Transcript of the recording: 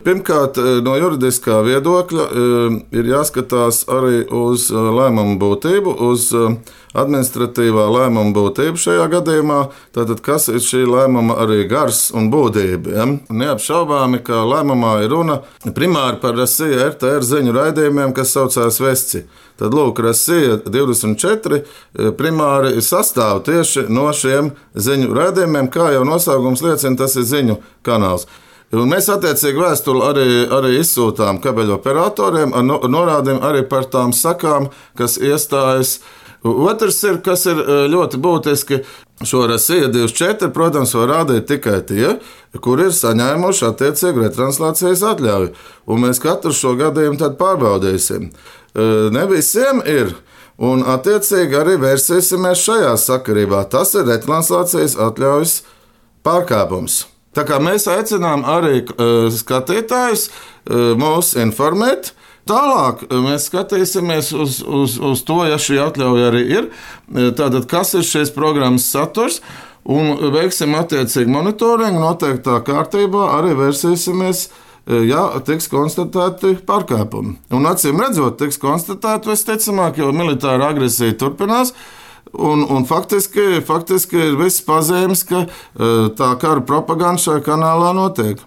Pirmkārt, no juridiskā viedokļa ir jāskatās arī uz lēmumu būtību, uz administratīvā lēmuma būtību šajā gadījumā. Tātad, kas ir šī lēmuma arī gars un būtība? Ja? Neapšaubāmi, ka lēmumā ir runa primāri par Rasija RTR ziņu raidījumiem, kas saucās Vesci. Tad, lūk, Rasija 24 primāri sastāv tieši no šiem ziņu raidījumiem, kā jau nosaukums liecina, tas ir ziņu kanāls. Un mēs attiecīgi vēstuli arī izsūtām kabeļoperatoriem ar norādēm arī par tām sakām, kas iestājas. Otrs ir, kas ir ļoti būtiski, šo Rasija 24, protams, var rādīt tikai tie, kur ir saņēmuši attiecīgu retranslācijas atļauju. Un mēs katru šo gadījumu tad pārbaudīsim. Ne visiem ir. Un attiecīgi arī vērsīsimies šajā sakarībā. Tas ir retranslācijas atļaujas pārkāpums. Tā kā mēs aicinām arī skatītājus mūs informēt, tālāk mēs skatīsimies uz to, ja šī atļauja arī ir, tātad kas ir šīs programmas saturs, un veiksim attiecīgi monitoringu noteiktā kārtībā, arī vērsīsimies, ja tiks konstatēti pārkāpumi. Un acīm redzot, tiks konstatēti visticamāk, jo militāra agresija turpinās. Un faktiski ir viss pazīmes, ka tā kara propaganda šajā kanālā notiek.